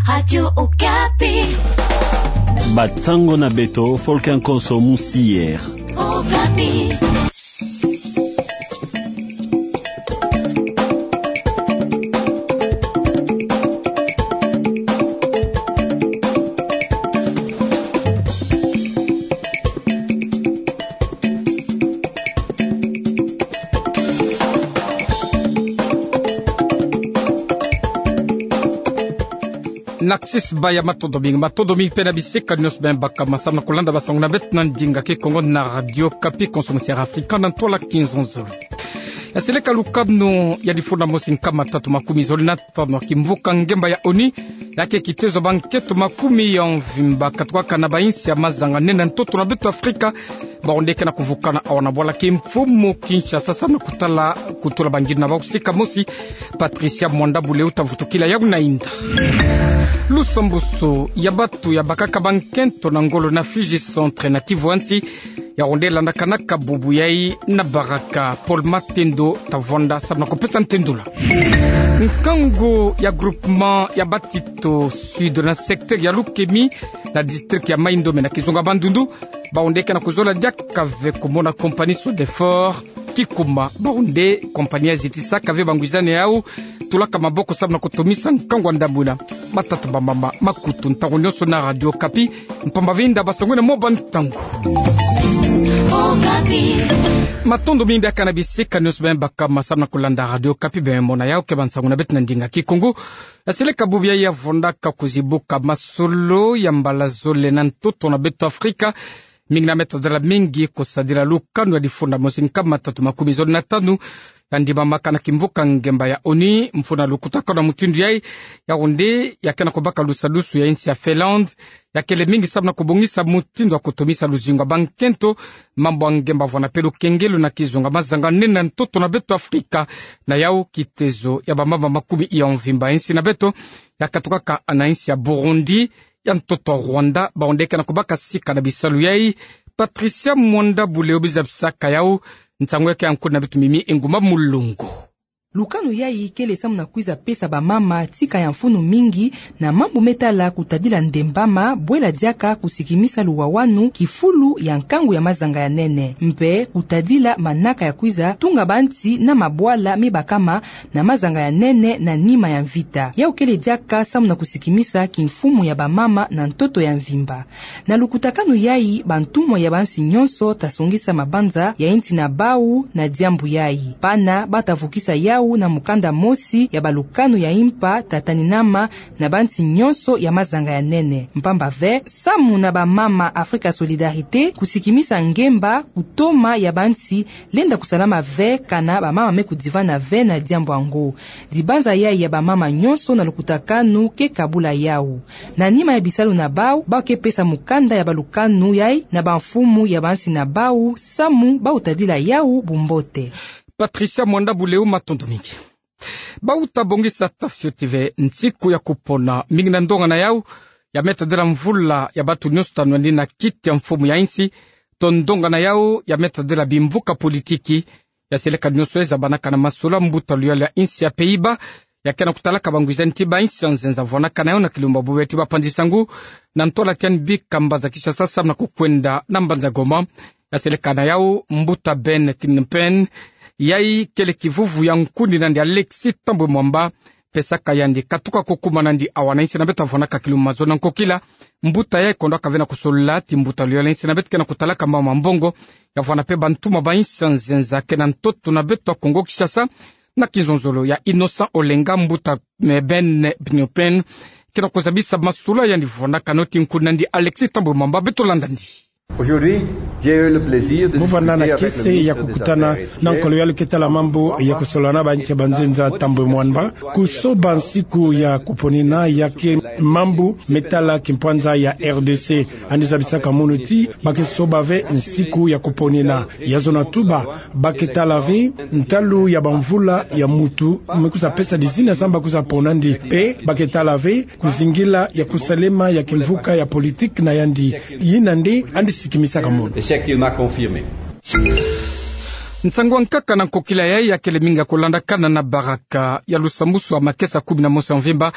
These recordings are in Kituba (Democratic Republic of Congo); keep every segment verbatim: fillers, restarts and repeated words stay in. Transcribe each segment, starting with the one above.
Radio Okapi. Bansango na beto, Volker Nkonso Musier. Okapi. Narcisse Baya, matondo mingi, matondo mingi pe na bisikani nyonso bem baka ma samu na kulanda bansango na beto na ndinga Kikongo na Radio Okapi, Konso Musier Afrika, na ntwala Kinzonzolo. Ya seleka lukanu ya difunda mosi nkama tatu makumi zole na tanu ya kimvuka ngemba ya ONU, ya ke kitezo bankento makumi ya mvimba katukaka na bainsi ya mazanga nene na ntoto na beto Afrika, bawu nde ke na kuvukana awa na bwala kimfumu Kinshasa, samu na kutala, kutula bangilu na bawu. Sika mosi, Patricia Mwanda Buleu ta vutukila yawu na inda. Lusambusu ya batu ya bakaka bankento na ngolo na Fiji Centre na Kivu ya nsi, yawu nde landakanaka bubu yayi na baraka. Paul Matendo ta vwanda samu na kupesa ntendula. Nkangu ya groupement ya Batito Sud na secteur ya Lukemi na district ya Mai-Ndombe na kizunga Bandundu, bawu nde ke na kuzola diaka ve kumona compagnie Sodefort kikuma. Bawu nde compagnie ya zitisaka ve bangwizani yawu tulaka maboko samu na kutomisa nkangu wa ndambu ina. Matata bamama, makutu, ntangu nyonso na Radio Okapi, mpamba ve inda bansangu ina mo bantangu. Okapi. Matondo mingi biakana bisikani nyonso bem baka ma samu na kulanda Radio Okapi, bem mona yawu ke bansangu na beto na ndinga Kikongo. Ya seleka bubu yayi ya vwandaka kuzibuka masolo ya mbala zole na ntoto na beto Afrika, mingi na me tadila mingi kusadila lukanu ya difunda mosi nkama tatu makumi zole na tanu ya ndimamaka na kimvuka ngemba ya ONU. Mfunu na lukutakanu ya mutindu yayi, yawu nde ya ke na kubaka lusadusu ya insi ya Finlande, ya kele mingi samu na kubongisa mutindu ya kutomisa luzingu ya bankento, mambu ya ngemba, vwanda pe lukengelo na kizunga mazanga nene na ntoto na beto Afrika. Na yawu kitezo ya bamama makumi ya mvimba ya insi na beto ya katukaka na insi ya Burundi, ya ntoto Rwanda, bawu nde ke na kubaka sika na bisalu yayi. Patricia Mwanda Buleu, biza bisaka yawu, nsangu ya ke ya nkuni na beto Mimi Engumba Mulongo. Lukanu yayi kele samu na kwiza pesa bamama tika ya mfunu mingi na mambu me tala kutadila ndembama, bwela diaka kusikimisa luwawanu, kifulu ya nkangu ya mazanga ya nene, mpe kutadila manaka ya kwiza tunga bansi na mabwala me bakama na mazanga ya nene na nima ya mvita. Yawu kele diaka samu na kusikimisa kimfumu ya bamama na ntoto ya mvimba. Na lukutakanu yayi, bantumwa ya bansi nyonso ta songisa mabanza ya insi na bawu na diambu yayi. Bana ba ta vukisa yawu na mukanda mosi ya balukanu ya impa ta taninama na bansi nyonso ya mazanga ya nene. Mpamba ve, samu na bamama Africa Solidarité, kusikimisa ngemba, kutoma ya bansi lenda kusalama ve kana bamama me kudivana ve na diambu yango. Dibanza yayi ya bamama nyonso na lukutakanu ke kabula yawu. Na nima ya bisalu na bawu, ba ke pesa mukanda ya balukanu yayi na bamfumu ya bansi na bawu, samu ba tadila yawu bumbote. Patricia Mwanda Buleu, matondo mingi. Ba ta bongisa tafioti ve nsiku ya kupona, mingi na ndonga na yawu ya me tadila mvula ya batu nyonso ta nwandi na kiti ya mfumu ya insi, to ndonga na yawu ya me tadila bimvuka politiki. Ya seleka nyonso e zabanaka na masolo, mbuta luyala ya insi ya Pays-Bas ya ke na kutalaka bangwizani ti bainsi ya nzenza vwanakana na yawu na kilumbu bubu ti bapanzi nsangu na ntwala tiani bika mbanza Kinshasa samu na kukwenda na mbanza Goma. Ya seleka na yawu mbuta Ben Knippen, yayi kele kivuvu ya nkuni nandi Alexis Thambwe Mwamba, pesaka yandi katuka kukuma nandi awa na insi na beto, vwanaka kilumbu mazono na nkokila. Mbuta yayi kondwaka ve na kusolola ti mbuta luyala ya insi na beto ke na kutalaka mambu ma mbongo, ya vwana pe bantumwa bainsi ya nzenza ke na ntoto na beto Kongo Kinshasa, na kinzonzolo ya Innocent Olenga, mbuta, eh, Ben Knippen ke na kuzabisa masolo yandi vwanakana ti nkuni nandi Alexis Thambwe Mwamba. Beto landa nandi. Aujourd'hui, j'ai eu le plaisir de discuter avec le ministre des Affaires étrangères. Mu vanda na kiese ya kukutana na nkolo ya luketa la mambu ya kusolola na bainsi ya banzenza Thambwe Mwamba, kusoba nsiku ya kuponina ya ke mambu me tala kimpwanza ya R D C. Yandi zabisaka munu ti ba ke soba ve nsiku ya kuponina. Ya zona tuba, ba ke tala ve ntalu ya bamvula ya mutu me kwiza pesa dizina samu ba kwiza pona nandi. Pe ba ke tala ve kuzingila ya kusalema ya kimvuka ya politiki na yandi. Yina nde yandi sikimisaka munu. Et c'est qu'il m'a confirmé. Nsangu ya nkaka na nkokila yayi ya kele mingi ya kulandakana na baraka ya lusambusu ya makesa kumi na mosi ya mvimba,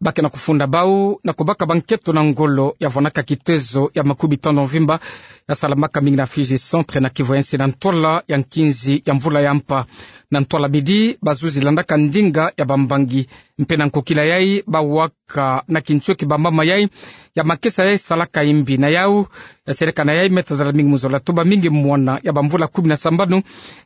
Ba ke na kufunda bau na kubaka bankento na ngolo ya vwanaka kitezo ya makumi tano mvimba, ya salamaka mingi na Fidji Centre na Kivu ya nsi na ntwala ya nkinzi ya mvula ya mpa. Na ntwala midi, bazuzi landaka ndinga ya bambangi. Mpe na nkokila yayi, bawaka na kinsweki bamama yayi ya makesa yayi salaka imbi. Na yau, ya seleka na yayi me tazala mingi mu zola toba mingi mwana ya bamvula kumi na sambanu,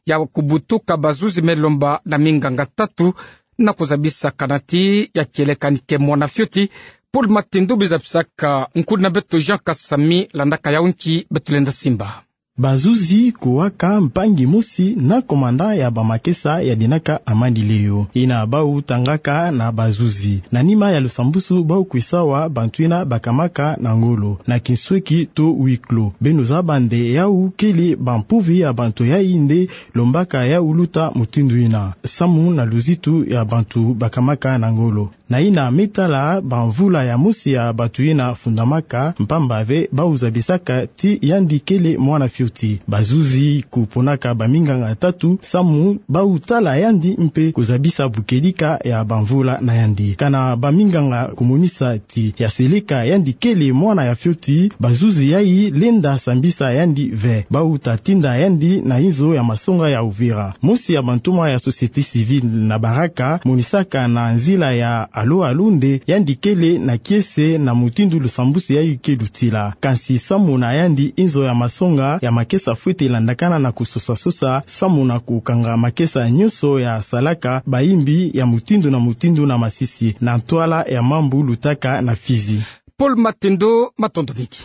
ya kubutuka bazuzi me lomba na minganga tatu, na kuzabisa kana ti ya kieleka ni ke mwana fioti. Paul Matendo, bizabisaka nkuna beto Jean Kasami, landaka yau nki beto lenda simba. Bazuzi kuwaka mpangi mosi na komanda ya bamakesa ya dinaka Amani Leo. Ina bau tangaka na bazuzi. Na nima ya lusambusu bau kwisawa bantu ina bakamaka na ngolo na kinsweki to huis clos. Beno zaba nde yau kele bampuvi ya bantu yayi nde lombaka yau luta mutindu ina, samu na luzitu ya bantu bakamaka na ngolo. Na ina me tala bamvula ya mosi ya bantu ina fundamaka, mpamba ve bau zabisaka ti yandi kele mwana fioti. Bazuzi kuponaka baminganga tatu, samu bau tala yandi mpe kuzabisa bukedika ya bamvula na yandi. Kana baminganga kumonisa ti ya seleka yandi kele mwana ya fioti, bazuzi yayi lenda sambisa yandi ve. Bau ta tinda yandi na inzo ya masonga ya Uvira. Mosi ya bantoma ya société civile na Baraka monisaka na nzila ya Allô Allô nde yandi kele na kiese na mutindu lusambusu yayi ke lutila. Kansi samu na yandi, inzo ya masonga ya makesa fwete landakana na kusosa-sosa samu na kukanga makesa nyonso ya salaka bayimbi ya mutindu na mutindu na masisi na ntwala ya mambu lutaka na Fidji. Paul Matendo, matondo mingi.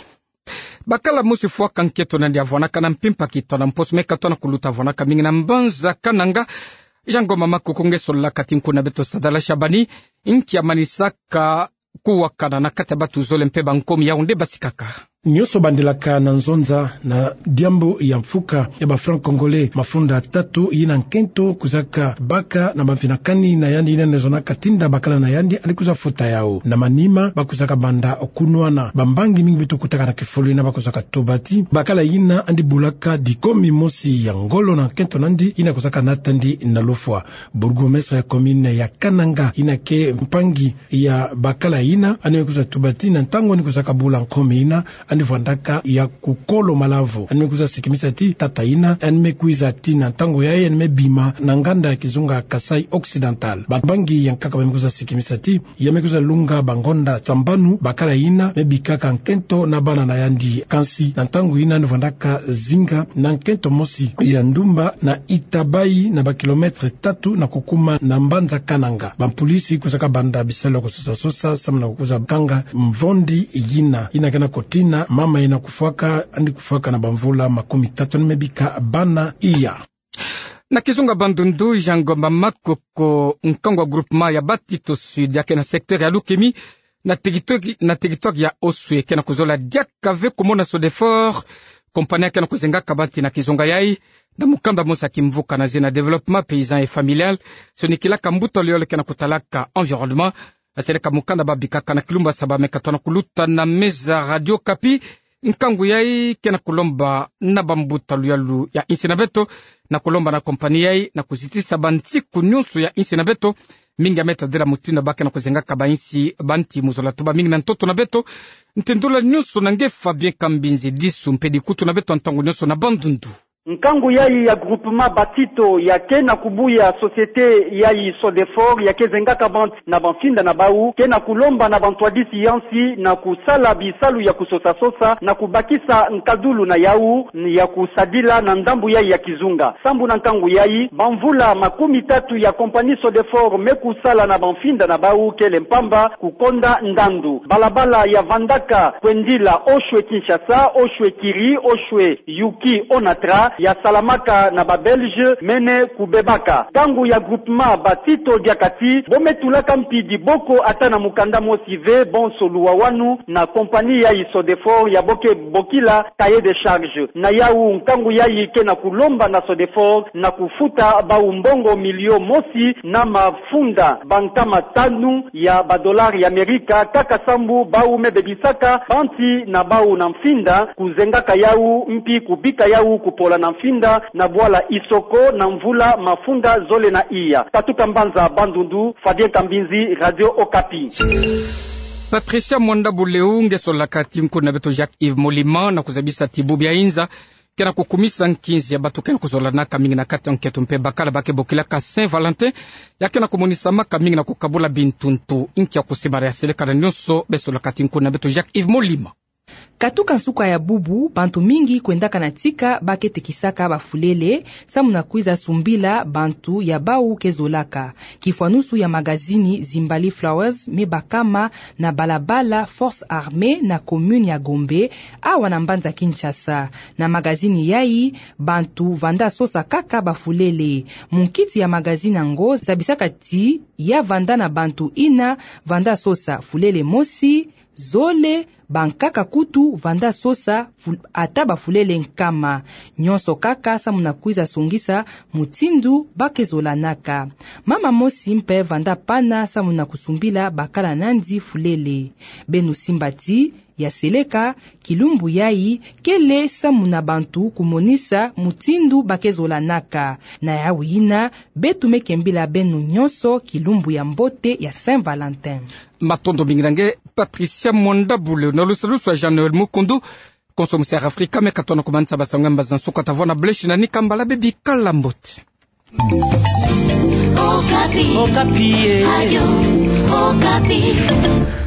Bakala mosi fwaka nkento nandi ya vwanaka na mpimpa kitoa na mposo me katoa na kuluta, vwanaka mingi na mbanza Kananga. Jean Ngoma Makoko nge sololaka ti nkuna beto Sadala Shabani, nki ya manisaka kuwakana na kati ya batu zole mpe bankomi yao nde basikaka. Nyonso bandilaka na nzonza na diambu ya mfuka ya ba francs congolais mafunda tatu yina nkento kuzaka baka na bamfina kani na yandi yina nde zonaka tinda bakala na yandi yandi kwiza futa yao. Na manima bakwizaka banda kunwana bambangi mingi beto kutaka na kifulu yina bakwizaka tuba ti bakala yina yandi bulaka dikomi mosi ya ngolo na nkento nandi yina kwizaka nata yandi na lufwa. Bourgmestre ya commune ya Kananga yina ke mpangi ya bakala yina yandi me kwiza tuba ti na ntangu yandi kwizaka bula nkomi yina, yandi vwandaka ya kukolo malavu. Yandi me kwiza sikimisa ti tata yina yandi me kwiza ti na ntangu yayi yandi me bima na nganda ya kizunga Kasaï Occidental. Bambangi ya nkaka ba me kwiza sikimisa ti ya me kwiza lunga bangonda sambanu bakala yina me bikaka nkento na bana na yandi. Kansi na ntangu yina yandi vwandaka zinga na nkento mosi ya ndumba na Itabaï, na ba kilomètre tatu na kukuma na mbanza Kananga. Bampulisi kwizaka banda bisalu ya kusosa-sosa samu na kukwiza kanga mvondi yina yina ke na kotina mama yina kufwaka, yandi kufwaka na bamvula makumi tatu, yandi me bika bana iya. Na kizunga Bandundu, Jean Ngoma Makoko, nkangu wa groupement ya Batito Sud ya ke na secteur ya Lukemi, na territoire, na territoire ya Oswe, ke na kuzola diaka ve kumona Sodefort, compagnie ya ke na kuzengaka banti na kizunga yayi, na mukanda mosi ya kimvuka na zina Développement Paysan et Familial, sonikilaka mbuta luyalo ke na kutalaka environnement. Asereka mukanda babikaka na kilumbu ya saba me katoa na kuluta na meza Radio Okapi. Nkangu yayi ke na kulomba na bambuta luyalo ya insi na beto, na kulomba na compagnie yayi na kuzitisa bansiku nyonso ya insi na beto, mingi ya me tadila mutindu ba ke na kuzengaka bansi, banti mu zola toba mingi na ntoto na beto. Ntindula nyonso na nge Fabien Kambinzi Disu, mpedi kutu na beto ntangu nyonso na Bandundu. Nkangu yayi ya groupement Batito ya ke na kubuya société yayi Sodefort ya ke zengaka banti na bamfinda na bau, ke na kulomba na bantwadisi ya nsi na kusala bisalu ya kusosa-sosa na kubakisa nkadulu na yau ya kusadila na ndambu yayi ya kizunga. Sambu na nkangu yayi, bamvula makumi tatu ya compagnie Sodefort me kusala na bamfinda na bau kele mpamba, kukonda ndandu. Balabala ya vandaka kwendila Oswe Kinshasa, Oswe Kiri, Oswe Yuki Onatra, ya salamaka na ba Belges, mene kubebaka. Nkangu ya groupement Batito diaka ti bo me tulaka mpi diboko ata na mukanda mosi ve, bonso luwawanu na compagnie yayi Sodefort ya bo ke bokila cahier de charge. Na yau, nkangu yayi ke na kulomba na Sodefort na kufuta bau mbongo milio mosi na mafunda bankama tanu ya ba dollars ya Amerika, kaka sambu bau me bebisaka banti na bau na mfinda, kuzengaka yau mpi kubika yau kupola na na mfinda na bwala Isoko na mvula mafunda zole na iya. Katuka mbanza Bandundu, Fabien Kambinzi, Radio Okapi. Patricia Mwanda Buleu nge solaka ti nkundu na beto Jacques Yves Molima na kuzabisa ti bubu ya inza ke na kukumisa nkinzi ya bato ke na kuzolanaka mingi na kati ya nkento mpe bakala ba ke bokilaka Saint-Valentin, ya ke na kumonisamaka mingi na kukabula bintuntu. Inki ya kusimbala ya seleka na nionso? Be solaka ti nkundu na beto Jacques Yves Molima. Katuka nsuka ya bubu, bantu mingi kwendaka na tika ba ke tekisaka bafulele, samu na kwiza sumbila bantu ya bau ke zolaka. Kifwanusu ya magazini Zimbali Flowers me bakama na balabala Force Armée na commune ya Gombe, awa na mbanza Kinshasa. Na magazini yayi, bantu vanda sosa kaka bafulele. Munkiti ya magazini yango zabisaka ti ya vanda na bantu ina vanda sosa fulele mosi, zole, bankaka kutu vanda sosa ful-, ata bafulele nkama. Nionso kaka samu na kwiza songisa mutindu ba ke zolanaka. Mama mosi mpe vanda pana samu na kusumbila bakala nandi fulele. Beno simba ti ya seleka kilumbu yayi kele samu na bantu kumonisa mutindu ba ke zolanaka. Na yawu yina, beto me kembila beno nionso kilumbu ya mbote ya Saint-Valentin. Matondo mingi na nge, Patricia Mwanda Buleu. Na lusalusu ya Jean-Noël Mukundu, konso musi Air Afrika me katona kumanisa basango ya mbazi na nsuka. Ta vwanda bule shi na nika mbala, bebikala mbote. Okapi. Okapi, eh. Radio Okapi.